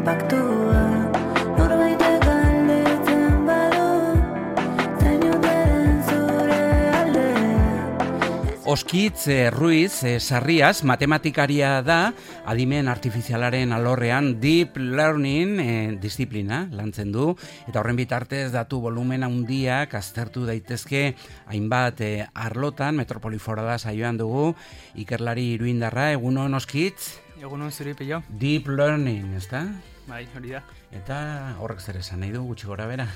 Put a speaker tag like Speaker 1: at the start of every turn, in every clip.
Speaker 1: paktua, norbaitek galdetzen badu, zein ote den zure aldea.
Speaker 2: Oskitz Ruiz Sarrias matematikaria da, adimen artifizialaren alorrean Deep Learning disiplina lantzen du, eta horren bitartez datu volumen handiak aztertu daitezke hainbat arlotan. Metropoli Forala saioan dugu ikerlari iruindarra. Egunon Oskitz?
Speaker 3: Egunon zuri pillo.
Speaker 2: Deep Learning, ezta?
Speaker 3: Bai, hori da.
Speaker 2: Eta horrek zer esan nahi du gutxi gora bera?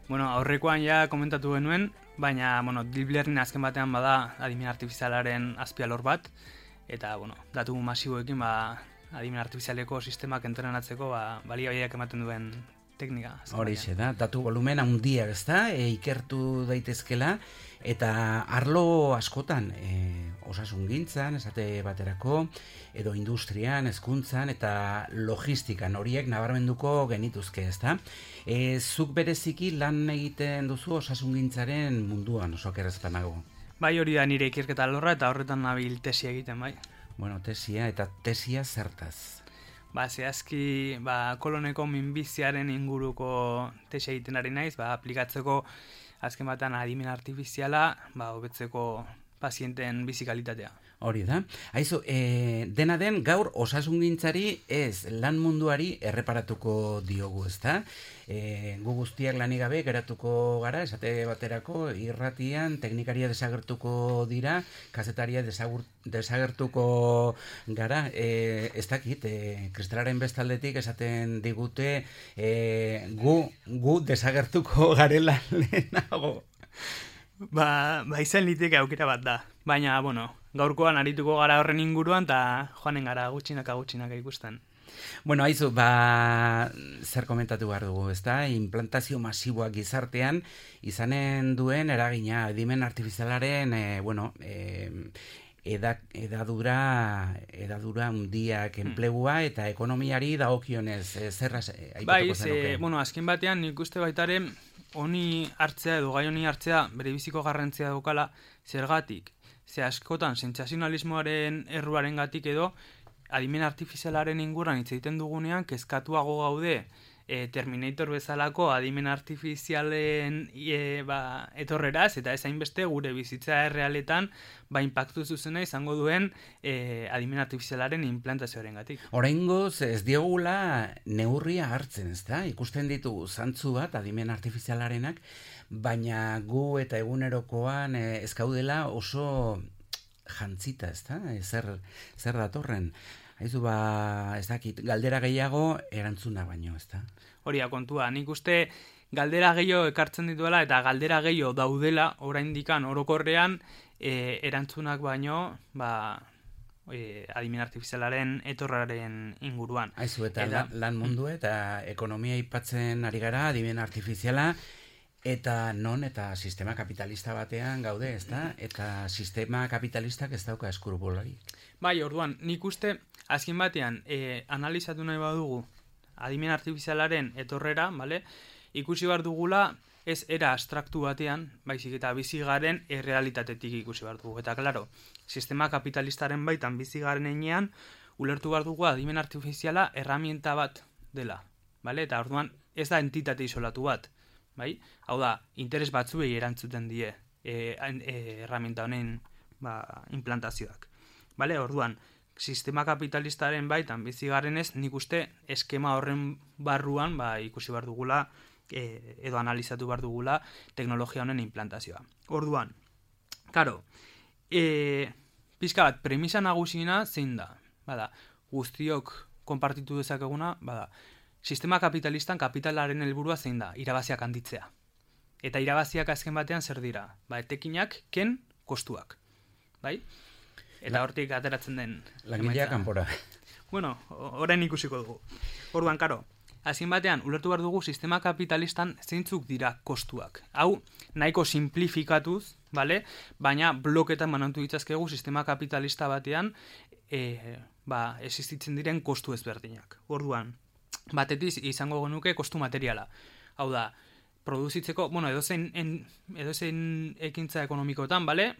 Speaker 3: Bueno, aurrekoan ja komentatu genuen, baina, Deep Learning azken batean bada adimen artifizialaren azpialor bat, eta, datu masiboekin, adimen artifizialeko sistemak entrenatzeko, baliabideak ematen duen teknika.
Speaker 2: Horixe da, datu volumen handiak, ezta, ikertu daitezkela, eta arlo askotan, osasungintzan, esate baterako, edo industrian, hezkuntzan eta logistikan horiek nabarmenduko genituzke, ezta? Zuk bereziki lan egiten duzu osasungintzaren munduan, oso kerrezpanago.
Speaker 3: Bai, hori da nire ikerketa alorra eta horretan nabil tesia egiten, bai.
Speaker 2: Bueno, tesia zertaz?
Speaker 3: Zehazki, koloneko minbiziaren inguruko tesia egiten ari naiz, aplikatzeko azken batean adimen artifiziala, hobetzeko pazienten bizi kalitatea.
Speaker 2: Hori da. Aizu, dena den gaur osasungintzari ez lan munduari erreparatuko diogu, ezta? Gu guztiak lanik gabe geratuko gara, esate baterako irratian teknikaria desagertuko dira, kazetaria desagertuko gara, ez dakit, kristalaren bestaldetik esaten digute gu desagertuko garela lehenago.
Speaker 3: Izan liteke aukera bat da, baina, gaurkoan arituko gara horren inguruan, eta joanen gara gutxinaka ikusten.
Speaker 2: Aizu, zer komentatu behar dugu, ezta? Implantazio masiboak gizartean izanen duen eragina, adimen artifizialaren, edadura hundiak enplegua eta ekonomiari dagokionez zerra aipatuko zenuke?
Speaker 3: Azken batean nik uste baitaren honi hartzea edo gai honi hartzea bere biziko garrantzia daukala zergatik. Ze askotan sentsazionalismoaren erruaren gatik edo adimen artifizialaren inguruan hitz egiten dugunean kezkatuago gaude Terminator bezalako adimen artifizialen etorreraz, eta ez hainbeste gure bizitza errealetan inpaktu zuzena izango duen adimen artifizialaren implantazioaren gatik.
Speaker 2: Oraingoz ez diogula neurria hartzen, ezta? Ikusten ditugu zantzu bat adimen artifizialarenak, baina gu eta egunerokoan ez gaudela oso jantzita, ezta? Zer datorren? Haizu ez dakit, galdera gehiago erantzuna baino, ezta?
Speaker 3: Hori kontua, nik uste galdera gehiago ekartzen dituela eta galdera gehiago daudela oraindikan orokorrean erantzunak baino, adimen artifizialaren etorraren inguruan.
Speaker 2: Haizu, eta lan mundu eta ekonomia aipatzen ari gara, adimen artifiziala, eta eta sistema kapitalista batean gaude, ezta? Eta sistema kapitalistak ez dauka eskrupularik.
Speaker 3: Orduan, nik uste azken batean analizatu nahi badugu adimen artifizialaren etorrera, ikusi behar dugula ez era abstraktu batean, baizik eta bizi garen errealitatetik ikusi behar dugu. Eta klaro, sistema kapitalistaren baitan bizi garen enean, ulertu behar dugu adimen artifiziala erramienta bat dela. Eta orduan ez da entitate isolatu bat. Hau da, interes batzuei erantzuten die erramienta honen implantazioak. Orduan, sistema kapitalistaren baitan bizi garenez, nik uste eskema horren barruan ikusi behar dugula edo analizatu behar dugula teknologia honen implantazioa. Orduan, karo, pixka bat, premisa nagusina zein da? Guztiok konpartitu dezakeguna, sistema kapitalistan kapitalaren helburua zein da? Irabaziak handitzea. Eta irabaziak azken batean zer dira? Etekinak, ken, kostuak. Eta hortik ateratzen den
Speaker 2: langileak kanpora.
Speaker 3: Orain ikusiko dugu. Orduan, karo, azken batean, ulertu behar dugu sistema kapitalistan zeintzuk dira kostuak. Hau, nahiko simplifikatuz, baina bloketan banantu ditzazkegu sistema kapitalista batean existitzen diren kostu ezberdinak. Orduan, batetik izango genuke kostu materiala. Hau da, produzitzeko, bueno, edozein ekintza ekonomikoetan, bale?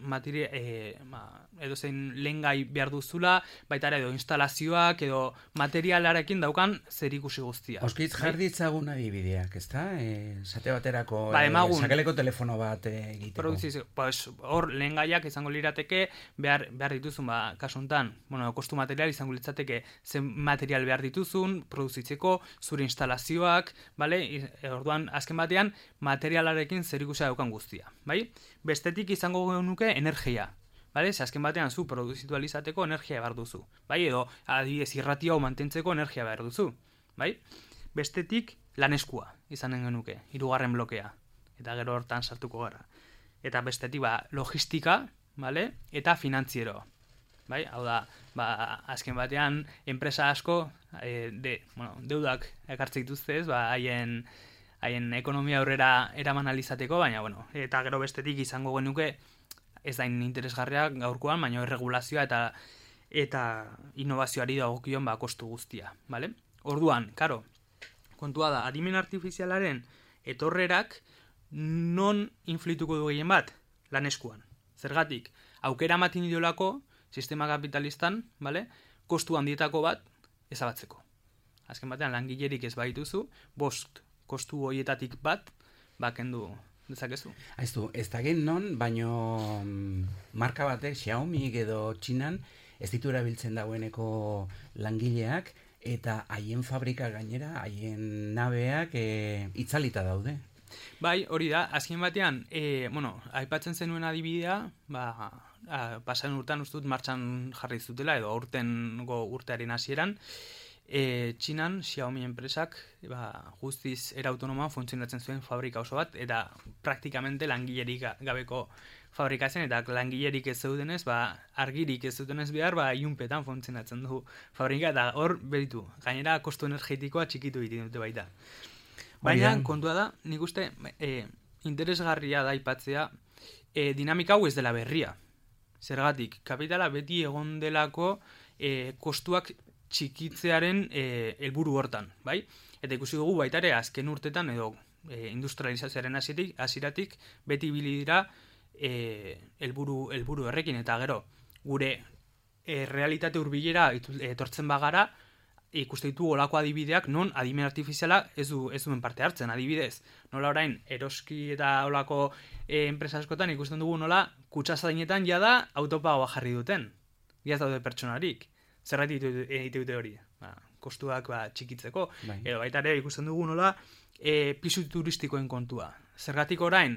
Speaker 3: Edozein lehengai behar duzula, baita ere edo instalazioak edo materialarekin daukan zerikusi guztia.
Speaker 2: Auskitz jarditzagun adibideak, ezta? Esate baterako sakeleko telefono bat egiteko.
Speaker 3: Produzitzeko, pues, hor lehengaiak izango lirateke behar dituzun, kasu honetan, bueno, kostu material izango litzateke zen material behar dituzun, produzitzeko, zure instalazioak, bale? Orduan, azken batean, materialarekin zerikusia daukan guztia, bai? Bestetik izango nuke energia, bale? Azken batean zu produzitu alizateko energia behar duzu, bai? Edo adibidez irratia hau mantentzeko energia behar duzu, bai? Bestetik laneskua izanen genuke, 3. blokea, eta gero hortan sartuko gara. Eta bestetik logistika, bale? Eta finantziero, bai? Hau da, azken batean enpresa asko deudak ekartzen dituzte, haien ekonomia aurrera eraman alizateko, baina, eta gero bestetik izango genuke, ez da interesgarriak gaurkoan, baina erregulazioa eta innovazioari dagokion kostu guztia, bale? Orduan, karo, kontua da, adimen artifizialaren etorrerak non influituko du gehien bat? Laneskuan. Zergatik, aukera ematen diolako sistema kapitalistan, bale? Kostu handietako bat ezabatzeko. Azken batean, langilerik ez baituzu, 5 kostu horietatik bat, kendu dezakezu.
Speaker 2: Aiztu, ez da gen non, baino marka batek, Xiaomi edo Txinan, ez ditu erabiltzen dagoeneko langileak, eta haien fabrika gainera, haien nabeak itzalita daude.
Speaker 3: Bai, hori da, azken batean, aipatzen zenuen adibidea, pasan urtean ustut martxan jarri zutela, edo urtearen hasieran, Txinan, Xiaomi enpresak guztiz era autonomoan funtzionatzen zuen fabrika oso bat, eta praktikamente langilerik gabeko fabrika zen, eta langilerik ez zeudenez, argirik ez zeudenez behar, ilunpetan funtzionatzen du fabrika, eta hor beritu, gainera kostu energetikoa txikitu egiten dute baita. Baina, kontua da, nik uste, interesgarria da aipatzea, dinamika hau ez dela berria. Zergatik, kapitala beti egon delako kostuak txikitzearen helburu hortan, bai? Eta ikusi dugu baita ere azken urtetan edo industrializazioaren hasieratik beti ibili dira helburu horrekin, eta gero gure realitate hurbilera etortzen bagara ikuste ditu olako adibideak non adimen artifiziala ez duen parte hartzen, adibidez. Nola orain eroski eta olako enpresa askotan ikusten dugu nola kutsazainetan jada autopagoa jarri duten. Iaz daude pertsonarik. Zerratik egite dute hori, kostuak txikitzeko, edo baita ere ikusten dugu nola pisu turistikoen kontua. Zergatik orain,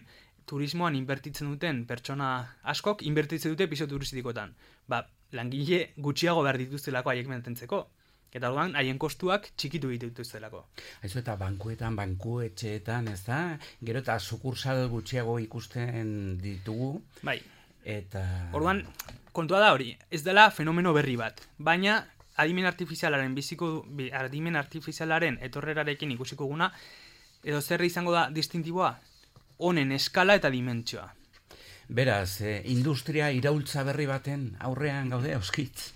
Speaker 3: turismoan inbertitzen duten pertsona askok inbertitzen dute pisu turistikoetan. Langile gutxiago behar dituztelako haiek mantentzeko. Eta orduan haien kostuak txikitu dituztelako.
Speaker 2: Aizu eta bankuetxeetan, ez da? Gero eta sukursal gutxiago ikusten ditugu.
Speaker 3: Bai.
Speaker 2: Eta...
Speaker 3: Orduan, kontua da hori, ez dela fenomeno berri bat, baina adimen artifizialaren etorrerarekin ikusiko guna, edo zer izango da distintiboa, honen eskala eta dimentsioa.
Speaker 2: Beraz, industria iraultza berri baten aurrean gaude, Auskitz?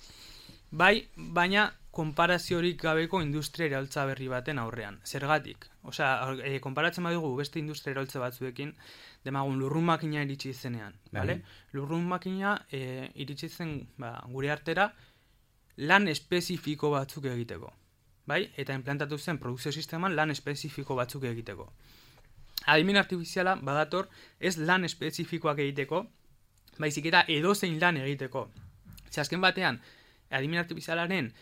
Speaker 3: Bai, baina konparaziorik gabeko industria iraultza berri baten aurrean. Zergatik? Osea, konparatzen badugu beste industria iraultza batzuekin, demagun lurrun makina iritsi zenean, bale? Lurrun makina iritsi zen gure artera lan espezifiko batzuk egiteko, bai? Eta implantatu zen produkzio sisteman lan espezifiko batzuk egiteko. Adimen artifiziala badator ez lan espezifikoak egiteko, baizik eta edozein lan egiteko. Azken batean, adimen artifizialaren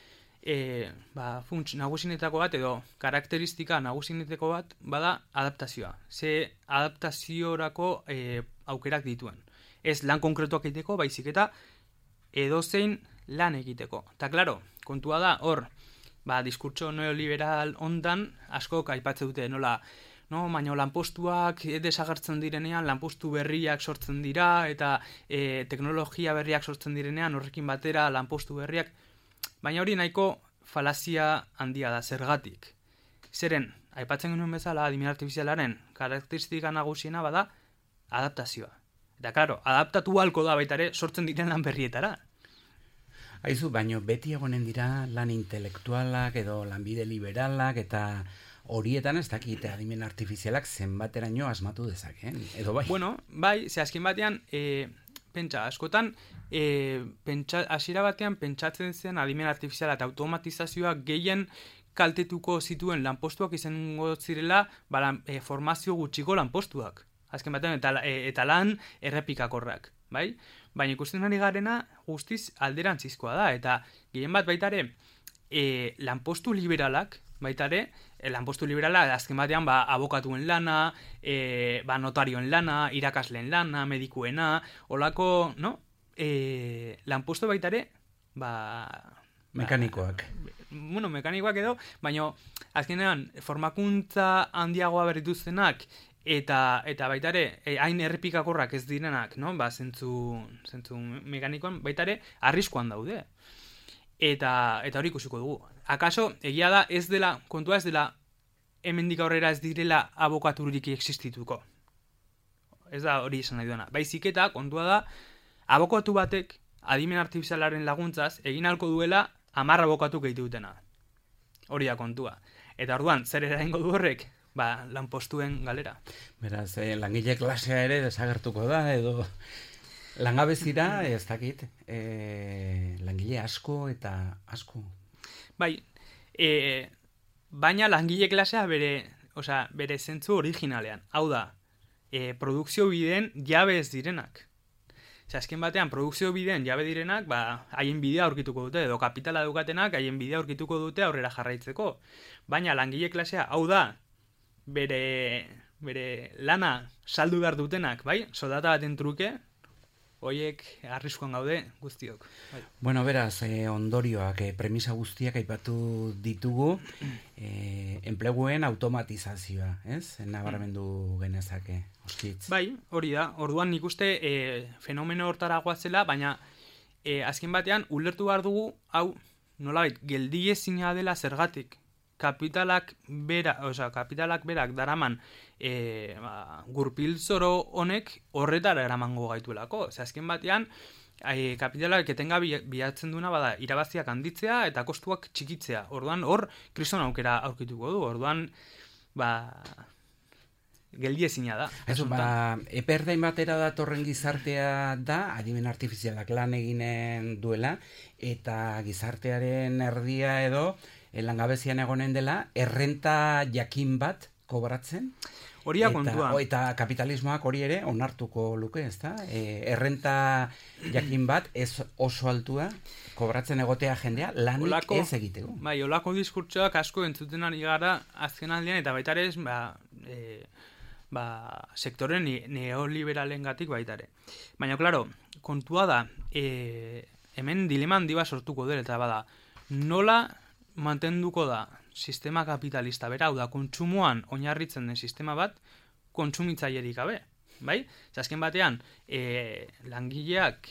Speaker 3: funts nagusinetako bat edo karakteristika nagusinetako bat bada adaptazioa. Ze adaptaziorako aukerak dituen. Ez lan konkretuak egiteko, baizik eta edozein lan egiteko. Eta klaro, kontua da, hor, diskurtso neoliberal ondan askok aipatze dute nola, baina lanpostuak desagertzen direnean, lanpostu berriak sortzen dira, eta teknologia berriak sortzen direnean, horrekin batera lanpostu berriak. Baina hori nahiko falazia handia da, zergatik. Zeren, aipatzen genuen bezala, adimen artifizialaren karakteristika nagusiena bada adaptazioa. Eta, klaro, adaptatu halko da baita ere sortzen diren lan berrietara.
Speaker 2: Aizu, baino beti egonen dira lan intelektualak edo lanbide liberalak eta horietan ez dakite adimen artifizialak zenbateraino asmatu dezakeen, edo bai?
Speaker 3: Bueno, bai, ze azken batean, pentsa, askotan, hasiera batean pentsatzen zen adimen artifiziala eta automatizazioa gehien kaltetuko zituen lanpostuak izango zirela formazio gutxiko lanpostuak. Azken batean, eta lan errepikakorrak, bai? Baina ikusten ari garena guztiz alderantzizkoa da, eta gehien bat baitare lanpostu liberalak, baitare, lanpostu liberala azken batean abokatuen lana, notarioen lana, irakasleen lana, medikuena, olako, no? Lanpostu baitare,
Speaker 2: mekanikoak.
Speaker 3: Bueno, mekanikoak edo, baina azkenean formakuntza handiagoa berrituztenak, eta baitare, hain errepikakorrak ez direnak, no? Zentzu mekanikoan, baitare, arriskuan daude. Eta hori ikusiko dugu. Akaso, egia da, kontua ez dela, hemendik aurrera ez direla abokaturik existituko. Ez da hori esan nahi duena. Baizik eta, kontua da, abokatu batek, adimen artifizialaren laguntzaz, egin ahalko duela 10 abokatu gehitu dutena. Hori da kontua. Eta orduan, zer eraingo du horrek? Lanpostuen galera.
Speaker 2: Beraz, langile klasea ere desagertuko da, edo langabezira, ez dakit, langile asko eta asko.
Speaker 3: Bai, baina langile klasea bere zentzu originalean. Hau da, produkzio bideen jabe ez direnak. Azken batean, produkzio bideen jabe direnak, haien bidea aurkituko dute, edo kapitala daukatenak haien bidea aurkituko dute aurrera jarraitzeko. Baina langile klasea, hau da, bere lana saldu behar dutenak, bai? Soldata baten truke, horiek arriskuan gaude guztiok. Bai.
Speaker 2: Bueno, beraz, ondorioak, premisa guztiak aipatu ditugu, enpleguen automatizazioa, ez? Nabarmendu genezake, oskitz.
Speaker 3: Bai, hori da. Orduan nik uste fenomeno hortara goazela, baina azken batean ulertu behar dugu, hau, nolabait, geldiezina dela zergatik. Kapitalak berak daraman gurpilzoro honek horretara eramango gaituelako. Azken batean, kapitalak etenga bilatzen duena irabaziak handitzea eta kostuak txikitzea. Orduan hor kriston aukera aurkituko du. Orduan geldiezina da.
Speaker 2: Eperdain batera datorren gizartea da, adimen artifizialak lan eginen duela, eta gizartearen erdia edo langabezian egonen dela, errenta jakin bat kobratzen.
Speaker 3: Horia kontua.
Speaker 2: Eta kapitalismoak hori ere onartuko luke, ezta? Errenta jakin bat ez oso altua kobratzen egotea jendea lanik ez egiteko.
Speaker 3: Bai, olako diskurtsoak asko entzuten ari gara azken aldean, eta baitare ez, sektore neoliberalengatik baitare. Baina, klaro, kontua da, hemen dilema handi bat sortuko dela, eta nola mantenduko da sistema kapitalista bera, hau da, kontsumoan oinarritzen den sistema bat, kontsumitzailerik gabe, bai? Azken batean, langileak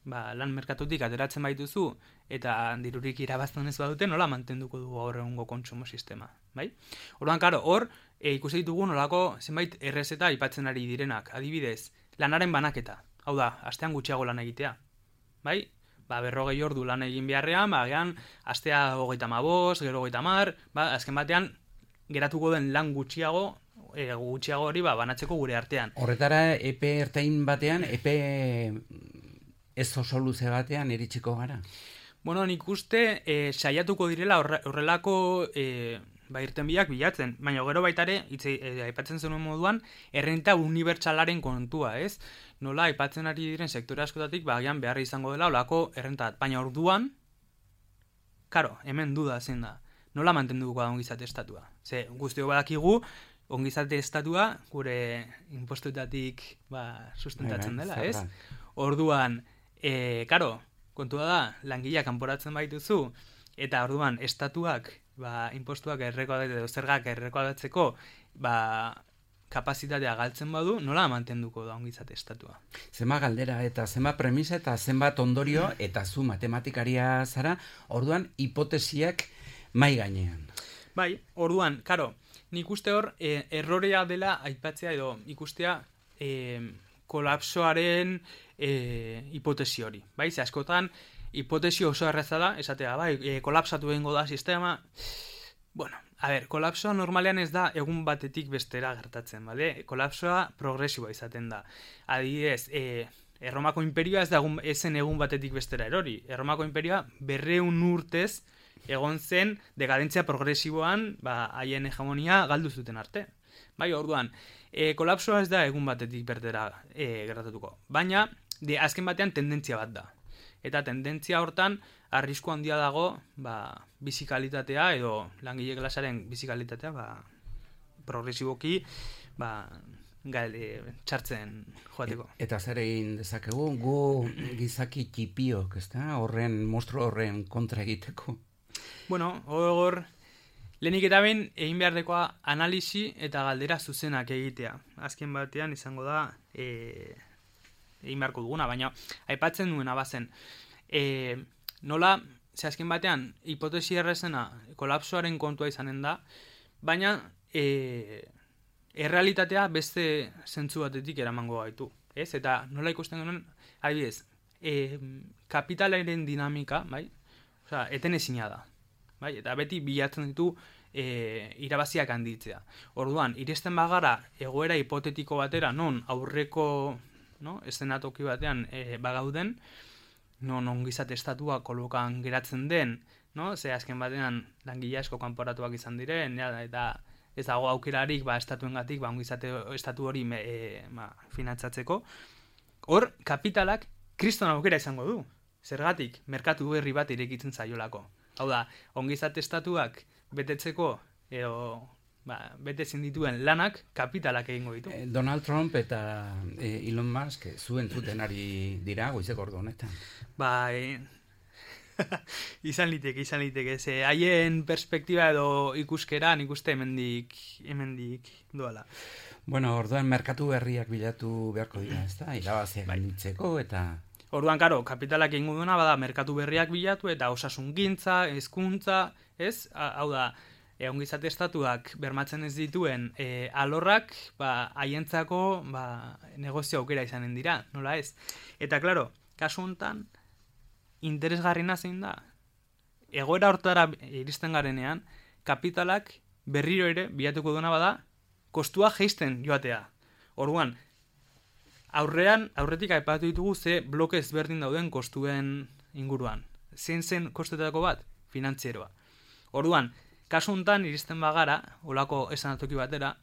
Speaker 3: lan merkatutik ateratzen baituzu, eta dirurik irabazten ez badute, nola mantenduko dugu gaur egungo kontsumo sistema, bai? Orduan, karo, hor, ikusi ditugu nolako zenbait errezeta aipatzen ari direnak, adibidez, lanaren banaketa, hau da, astean gutxiago lan egitea, bai? 40 ordu lan egin beharrean, agian, astea 35, gero 30, azken batean, geratuko den lan gutxiago hori banatzeko gure artean.
Speaker 2: Horretara, epe ertain batean, epe ez oso luze batean iritsiko gara?
Speaker 3: Bueno, nik uste saiatuko direla horrelako irtenbideak bilatzen, baina gero baitare, aipatzen zenuen moduan, errenta unibertsalaren kontua, ez? Nola, aipatzen ari diren sektore askotatik, agian beharra izango dela, olako errentat. Baina orduan, karo, hemen duda zen da, nola mantenduko da ongizate estatua? Ze, guztio badakigu, ongizate estatua gure impostuetatik sustentatzen dela, ez? Orduan, karo, kontua da, langileak kanporatzen baituzu, eta orduan, estatuak, impostuak edo zergak errekoaldatzeko, kapazitatea galtzen badu, nola mantenduko da ongizate estatua?
Speaker 2: Zenbat galdera eta zenbat premisa eta zenbat ondorio, eta zu matematikaria zara, orduan hipotesiak mai gainean.
Speaker 3: Bai, orduan, karo, nik uste hor, errorea dela aipatzea edo ikustea kolapsoaren hipotesi hori. Bai, ze askotan, hipotesi oso erreza da, esatea, kolapsatu egingo da sistema, Bueno, kolapsoa normalean ez da egun batetik bestera gertatzen, bale? Kolapsoa progresiboa izaten da. Adibidez, Erromako imperioa ezen egun batetik bestera erori. Erromako imperioa 200 urtez egon zen dekadentzia progresiboan, haien hegemonia galdu zuten arte. Bai, orduan, kolapsoa ez da egun batetik bertera gertatuko. Baina, azken batean tendentzia bat da. Eta tendentzia hortan, arrisku handia dago, bizikalitatea edo langile klasaren bizikalitatea, progresiboki, txartzen joateko.
Speaker 2: Eta zer egin dezakegu, gu gizaki txipiok, ezta? Monstro horren kontra egiteko.
Speaker 3: Bueno, hor, lehenik eta behin egin beharrekoa analisi eta galdera zuzenak egitea. Azken batean izango da egin beharko duguna, baina aipatzen duena bazen. Nola, azken batean, hipotesi errezena kolapsoaren kontua izanen da, baina errealitatea beste zentzu batetik eramango gaitu. Ez? Eta nola ikusten genuen, adibidez, kapitalaren dinamika, bai? Osea, eten ezina da. Bai? Eta beti bilatzen ditu irabaziak handitzea. Orduan, iristen bagara egoera hipotetiko batera, non aurreko eszenatoki batean bagauden, non ongizate estatua kolokan geratzen den, ze azken batean langile asko kanporatuak izan diren, eta ez dago aukerarik estatuengatik ongizate estatu hori finantzatzeko. Hor, kapitalak kriston aukera izango du. Zergatik, merkatu berri bat irekitzen zaiolako. Hau da, ongizate estatuak betetzeko, betetzen dituen lanak kapitalak egingo ditu.
Speaker 2: Donald Trump eta Elon Musk zuen zuten ari dira goizeko ordu honetan.
Speaker 3: Izan liteke. Haien perspektiba edo ikuskera nik uste hemendik doala.
Speaker 2: Bueno, orduan merkatu berriak bilatu beharko dira, ezta? Irabaziak handitzeko eta...
Speaker 3: Orduan, karo, kapitalak egingo duena bada merkatu berriak bilatu eta osasungintza, hezkuntza, ez? Hau da, ongizate estatuak bermatzen ez dituen alorrak, haientzako negozio aukera izanen dira, nola ez? Eta, klaro, kasu honetan, interesgarriena zein da. Egoera hortara iristen garenean, kapitalak berriro ere bilatuko duena bada, kostua jeisten joatea. Orduan, aurretik aipatu ditugu ze bloke ezberdin dauden kostuen inguruan. Zein zen kostuetako bat? Finantzieroa. Orduan, kasu honetan iristen bagara, olako esanatoki batera,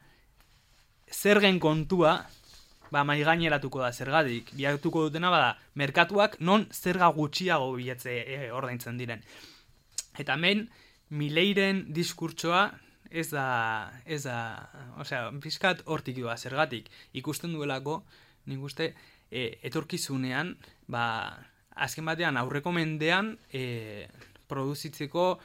Speaker 3: zergen kontua, maigaineratuko da zergatik. Bilatuko dutena bada, merkatuak non zerga gutxiago bilatze ordaintzen diren. Eta hemen, Mileiren diskurtsoa ez da, pizkat hortik doa zergatik. Ikusten duelako, nik uste, etorkizunean, azken batean aurreko mendean produzitzeko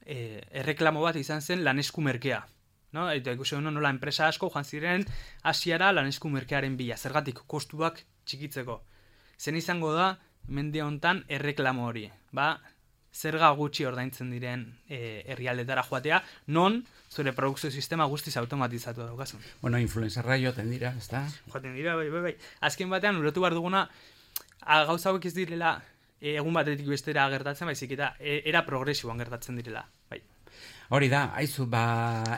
Speaker 3: erreklamo bat izan zen lanesku merkea. Eta ikusten nola enpresa asko joan ziren Asiara lanesku merkearen bila, zergatik kostuak txikitzeko. Zen izango da, mende hontan erreklamo hori. Zerga gutxi ordaintzen diren herrialdetara joatea, non zure produkzio sistema guztiz automatizatu daukazun.
Speaker 2: Bueno, influencerra joaten dira, ezta?
Speaker 3: Joaten dira, bai. Azken batean, ulertu behar duguna, gauza hauek ez direla egun batetik bestera gertatzen, baizik eta era progresiboan gertatzen direla, bai.
Speaker 2: Hori da, haizu,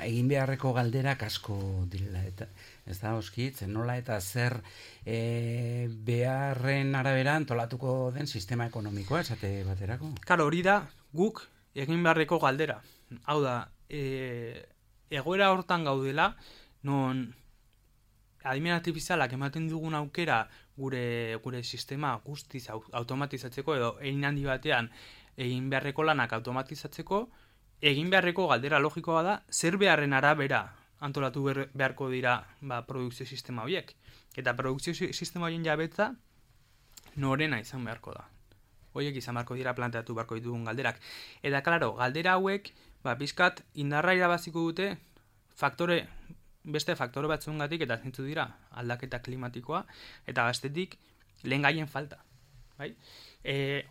Speaker 2: egin beharreko galderak asko direla, eta ez da, oskitz, nola eta zer beharren arabera antolatuko den sistema ekonomikoa, esate baterako?
Speaker 3: Karo, hori da, guk egin beharreko galdera. Hau da, egoera hortan gaudela, non adimen artifizialak ematen dugun aukera gure sistema guztiz automatizatzeko edo egin handi batean egin beharreko lanak automatizatzeko, egin beharreko galdera logikoa da, zer beharren arabera antolatu beharko dira produkzio sistema horiek. Eta produkzio sistema horien jabetza norena izan beharko da. Horiek izan beharko dira planteatu beharko ditugun galderak. Eta, klaro, galdera hauek, pizkat indarra irabaziko dute beste faktore batzuengatik eta zintzu dira aldaketa klimatikoa eta bestetik lehengaien falta. Bai?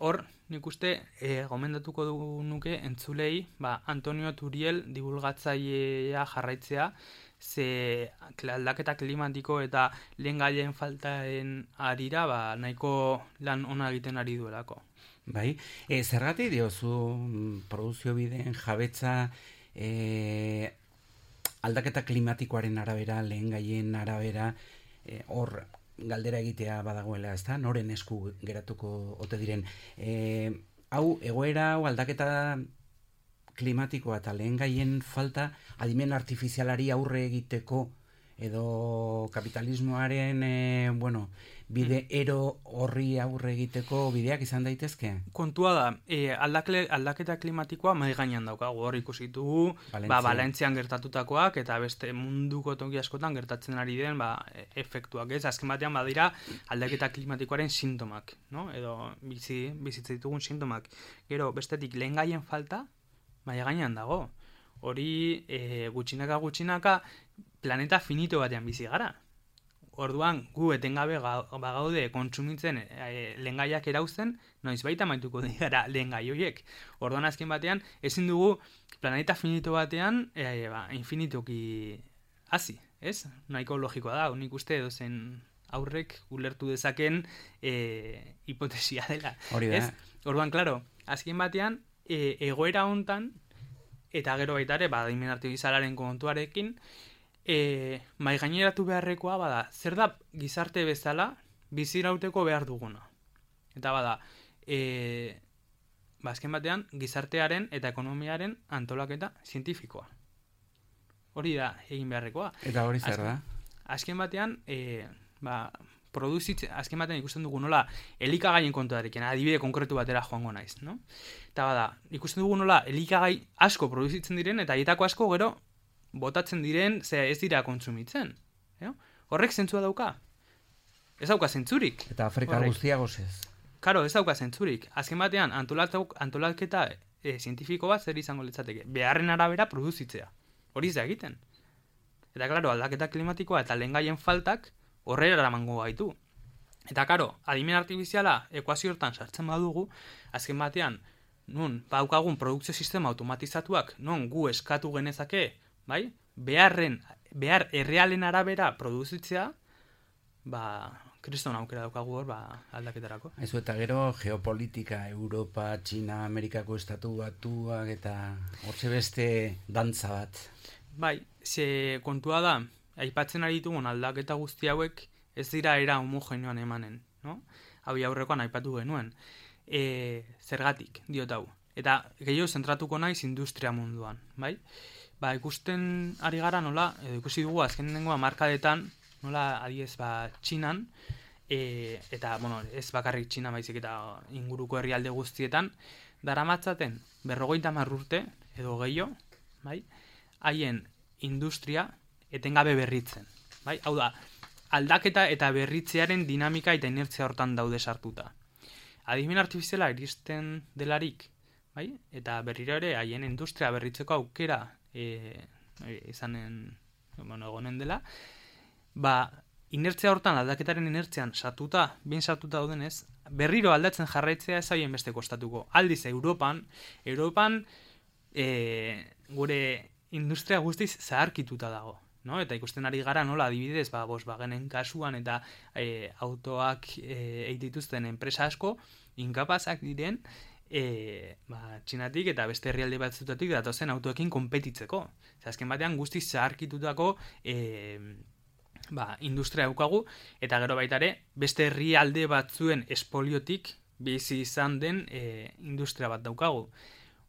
Speaker 3: Hor, nik uste, gomendatuko nuke entzulei, Antonio Turiel divulgatzailea jarraitzea, ze aldaketa klimatiko eta lehengaien faltaen arira, nahiko lan ona egiten ari duelako.
Speaker 2: Bai, zergatik diozu produzio bideen jabetza aldaketa klimatikoaren arabera, lehengaien arabera, hor galdera egitea badagoela, ezta? Noren esku geratuko ote diren. Hau, egoera, hau aldaketa klimatikoa eta lehengaien falta adimen artifizialari aurre egiteko edo kapitalismoaren bide ero horri aurre egiteko bideak izan daitezke?
Speaker 3: Kontua da, aldaketa klimatikoa mahai gainean daukagu, hor ikusi ditugu, Valentzian gertatutakoak eta beste munduko toki askotan gertatzen ari den efektuak, ez? Azken batean badira aldaketa klimatikoaren sintomak, no? Edo bizitza ditugun sintomak. Gero, bestetik lehengaien falta mahai gainean dago. Hori gutxinaka planeta finito batean bizi gara. Orduan, gu etengabe bagaude kontsumitzen lehengaiak erauzten, noiz baita maituko dira lehengai horiek. Orduan azken batean, ezin dugu planeta finito batean infinituki hasi, ez? Nahiko logikoa da, nik uste edozen aurrek ulertu dezaken hipotesia dela.
Speaker 2: Hori da.
Speaker 3: Ez? Orduan, klaro, azken batean, egoera hontan, eta gero baita ere, adimen artifizialaren kontuarekin, mai gaineratu beharrekoa bada, zer da gizarte bezala bizirauteko behar duguna. Eta bada, azken batean, gizartearen eta ekonomiaren antolaketa zientifikoa. Hori da egin beharrekoa.
Speaker 2: Eta hori zer da?
Speaker 3: Azken batean, azken batean ikusten dugu nola elikagaien kontuarekin, adibide konkretu batera joango naiz, no? Eta bada, ikusten dugu nola elikagai asko produzitzen diren eta haietako asko gero botatzen diren, ez dira kontsumitzen. Horrek zentzua dauka? Ez dauka zentzurik.
Speaker 2: Eta Afrika guztia gozez.
Speaker 3: Karo, ez dauka zentzurik. Azken batean, antolaketa zientifiko bat zer izango litzateke. Beharren arabera produzitzea. Hori ez da egiten. Eta, klaro, aldaketa klimatikoa eta lehengaien faltak horrela eramango gaitu. Eta, karo, adimen artifiziala ekuazio hortan sartzen badugu, azken batean, nun, daukagun produkzio sistema automatizatuak, non gu eskatu genezake, bai? Behar errealen arabera produzitzea, kriston aukera daukagu hor, aldaketarako.
Speaker 2: Aizu, eta gero geopolitika, Europa, Txina, Amerikako estatu batuak eta hortxe beste dantza bat.
Speaker 3: Bai, ze kontua da, aipatzen ari ditugun aldaketa guzti hauek ez dira era homogeneoan emanen, no? Hau aurrekoan aipatu genuen. Zergatik, diot hau. Eta gehiago zentratuko naiz industria munduan, bai? Ikusten ari gara nola, edo ikusi dugu azkenengo hamarkadetan, nola adiez Txinan, eta, ez bakarrik Txina baizik eta inguruko herrialde guztietan, daramatzaten 50 urte, edo gehiago, bai? Haien industria etengabe berritzen, bai? Hau da, aldaketa eta berritzearen dinamika eta inertzia hortan daude sartuta. Adimen artifiziala iristen delarik, bai? Eta berriro ere haien industria berritzeko aukera egonen dela, inertzia hortan, aldaketaren inertzian bien sartuta daudenez, berriro aldatzen jarraitzea ez haien beste kostatuko. Aldiz, Europan gure industria guztiz zaharkituta dago, no? Eta ikusten ari gara nola adibidez, Volkswagenen kasuan eta autoak eitituzten enpresa asko, inkapazak diren, Txinatik eta beste herrialde batzutatik datozen autoekin konpetitzeko. Azken batean guztiz zaharkitutako industria daukagu, eta gero baita ere beste herrialde batzuen espoliotik bizi izan den industria bat daukagu.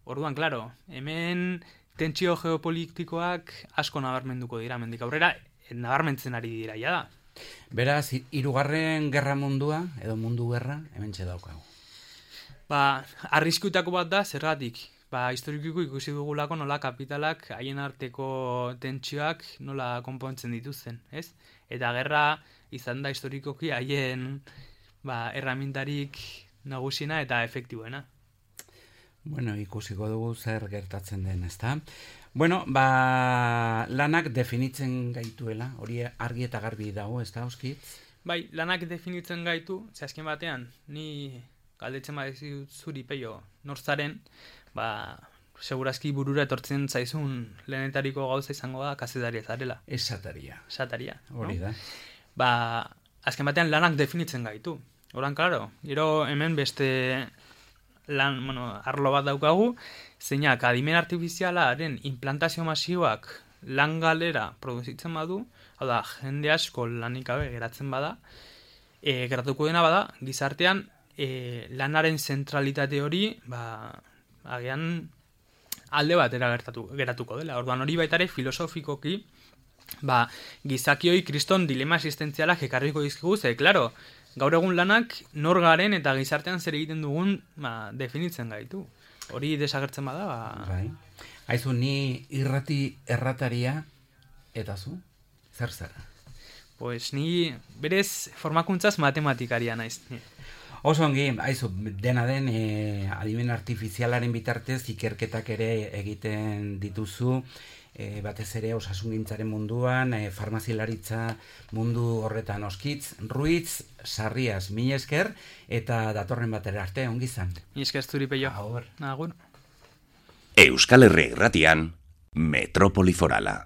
Speaker 3: Orduan, klaro, hemen tentsio geopolitikoak asko nabarmenduko dira, mendik aurrera nabarmentzen ari dira ja da.
Speaker 2: Beraz, 3. gerra mundua, edo mundu gerra, hementxe daukagu.
Speaker 3: Arriskutako bat da, zergatik. Historikiko ikusi dugulako nola kapitalak haien arteko tentsioak nola konpontzen dituzten, ez? Eta gerra izan da historikoki haien erramintarik nagusiena eta efektiboena.
Speaker 2: Bueno, ikusiko dugu zer gertatzen den, ezta? Bueno, lanak definitzen gaituela, hori argi eta garbi dago, ezta, Oskitz?
Speaker 3: Bai, lanak definitzen gaitu, ze azken batean, ni galdetzen badizut zuri peio norzaren, segurazki burura etortzen zaizun lehenetariko gauza izango da kazetaria zarela.
Speaker 2: Esataria.
Speaker 3: Esataria.
Speaker 2: Hori da.
Speaker 3: Azken batean lanak definitzen gaitu. Horan, klaro, gero hemen beste arlo bat daukagu, zeinak adimen artifizialaren implantazio masiboak lan galera produzitzen badu, hau da, jende asko lanik gabe geratzen bada, geratuko dena bada, gizartean lanaren zentralitate hori, agian alde batera geratuko dela. Orduan hori baita ere filosofikoki, gizakioi kriston dilema existentzialak ekarriko dizkigu, ze, klaro, gaur egun lanak nor garen eta gizartean zer egiten dugun definitzen gaitu. Hori desagertzen bada,
Speaker 2: Bai. Aizu, ni irrati errataria eta zu? Zer zara?
Speaker 3: Pues ni berez formakuntzaz matematikaria naiz.
Speaker 2: Oso ongi, aizu, dena den adimen artifizialaren bitartez ikerketak ere egiten dituzu, batez ere osasungintzaren munduan, farmazilaritza mundu horretan oskitz, Ruiz, Sarrias, mila esker, eta datorren batera arte, ongi zan.
Speaker 3: Ni esker zuri peio.
Speaker 2: Agur.
Speaker 3: Agur.
Speaker 4: Euskal Herria Irratian, Metrópoli Forala.